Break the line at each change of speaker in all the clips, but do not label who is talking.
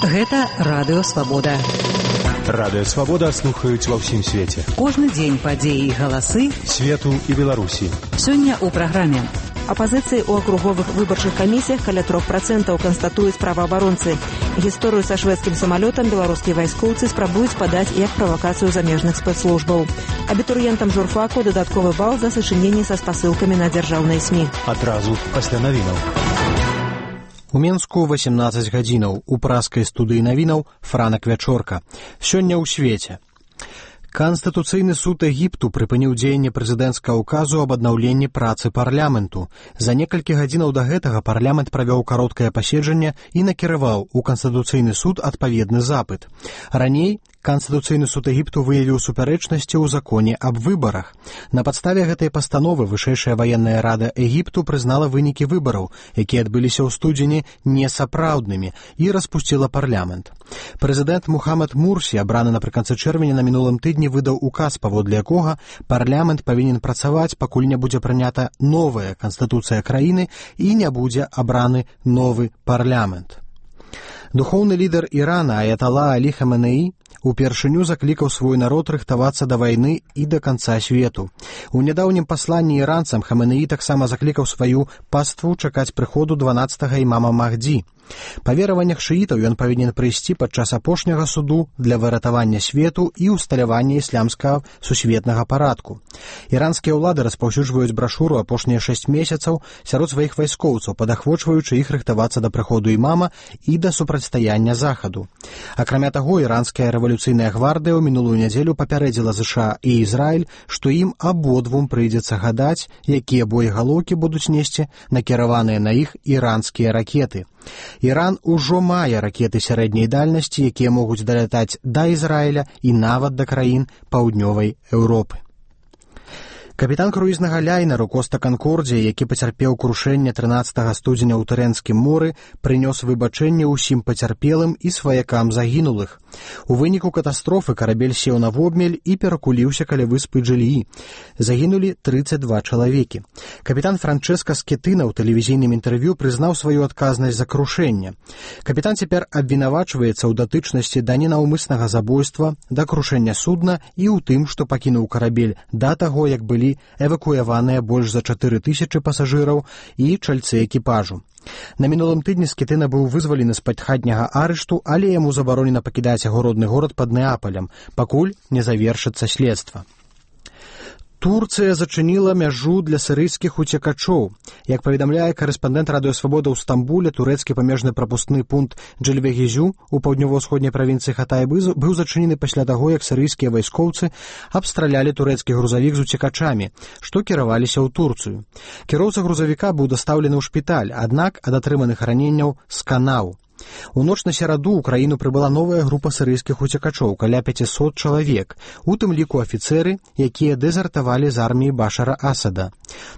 Гэта Радыё Свабода.
Радыё Свабода слухаюць ва ўсім свеце.
Кожны дзень падзеі і галасы
свету і Беларусі.
Сёння ў праграме.
Апазіцыі ў акруговых выбарчых камісіях каля 3% канстатуюць праваабаронцы. Гісторыю са шведскім самалётам беларускія вайскоўцы спрабуюць падаць як правакацыю замежных спецслужбаў. Абітурыентам журфаку дадатковы бал за сачыненні са спасылкамі на дзяржаўныя СМІ.
Адразу пасля навінаў.
У Менску 18 гадзінаў. У праскай студыі навінаў Франак Вячорка. Сёння ў свеце. Канстытуцыйны суд Егіпту прыпыніў дзеянне прэзідэнцкага ўказу аб аднаўленні працы парламенту. За некалькі гадзінаў да гэтага парламент правёў кароткае паседжанне і накіраваў у Канстытуцыйны суд адпаведны запыт. Раней Канстытуцыйны суд Егіпту выявіў супярэчнасці ў законе аб выбарах. На падставе гэтай пастановы Вышэйшая ваенная рада Егіпту прызнала вынікі выбараў, якія адбыліся ў студзені, несапраўднымі і распусціла парламент. Прэзідэнт Мухаммад Мурсі, абраны напрыканцы чэрвеня на мінулым тыдні, выдаў указ, паводле якога парламент павінен працаваць, пакуль не будзе прынята новая канстытуцыя краіны і не будзе абраны новы парламент. Духоўны лідар Ірана Аятала Алі Хаменеі упершыню заклікаў свой народ рыхтавацца да вайны і да канца свету. У нядаўнім пасланні іранцам Хаменеі таксама заклікаў сваю паству чакаць прыходу 12-га імама Махдзі. Па вераваннях шыітаў ён павінен прыйсці падчас апошняга суду для выратавання свету і ўсталявання ісламскага сусветнага парадку. Іранскія ўлады распаўсюджваюць брашуру апошнія 6 месяцаў сярод сваіх вайскоўцаў, падахвочваючы іх рыхтавацца да прыходу імама і да супрацьстаяння захаду. Акрамя таго, іранская рэвалюцыйная гвардыя ў минулую нядзелю папярэдзіла ЗША і Ізраіль, што ім абодвум прыйдзецца гадаць, якія боегалоўкі будуць несці накіраваныя на іх іранскія ракеты. Іран ужо мае ракеты сярэдняй дальнасці, якія могуць далятаць да Ізраіля і нават да краін паўднёвай Еўропы. Капітан круізнага лайнеру Коста Канкордзія, які пацярпеў крушэнне 13 студзеня ў Тэрэнскім моры, прынёс выбачэнне ўсім пацярпелым і сваякам загінулых. У выніку катастрофы карабель сеў на вобмель і перакуліўся каля выспы Джыліі. Загінулі 32 чалавекі. Капітан Франчэска Скетына ў тэлевізійным інтэрв'ю прызнаў сваю адказнасць за крушэнне. Капітан цяпер абвінавачваецца ў датычнасці да ненаўмыснага забойства, да крушэння судна і ў тым, што пакінуў карабель да таго, як былі эвакуяваныя больш за 4000 пасажыраў і чальцы экіпажу. На мінулым тыдні Скетына быў вызвалены з-пад хатняга арышту, але яму забаронена пакідаць яго родны горад пад Неапалем, пакуль не завершыцца следства. Турцыя зачыніла мяжу для сірыйскіх уцекачоў. Як паведамляе корэспандэнт Радыё Свабода ў Стамбуле, турэцкі памежны прапускны пункт Джельвегизю ў паўднёва-ўсходняй правінцыі Хатай быў зачынены пасля таго, як сірыйскія вайскоўцы абстралялі турэцкі грузавік з уцекачамі, што кіраваліся ў Турцыю. Кіроўца грузавіка быў дастаўлены ў шпіталь, аднак ад атрыманых раненняў сканаў. У ноч на сераду ў краіну прыбыла новая група сірыйскіх уцекачоў, каля 500 чалавек, у тым ліку афіцэры, якія дэзертавалі з арміі Башара Асада.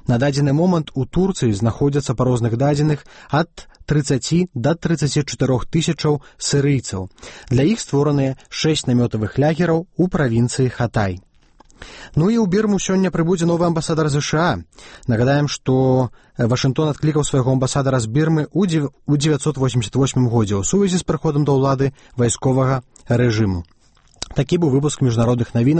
На дадзены момант у Турцыі знаходзяцца па розных дадзеных ад 30 да 34 тысячаў сірыйцаў. Для іх створаныя 6 намётавых лагераў у правінцыі Хатай. Ну і ў Бірму сёння прыбудзе новы амбасадар ЗША. Нагадаем, што Вашынгтон адклікаў свайго амбасадара з Бірмы ў 1988 годзе ў сувязі з прыходам да ўлады вайсковага рэжыму. Такі быў выпуск міжнародных навінаў.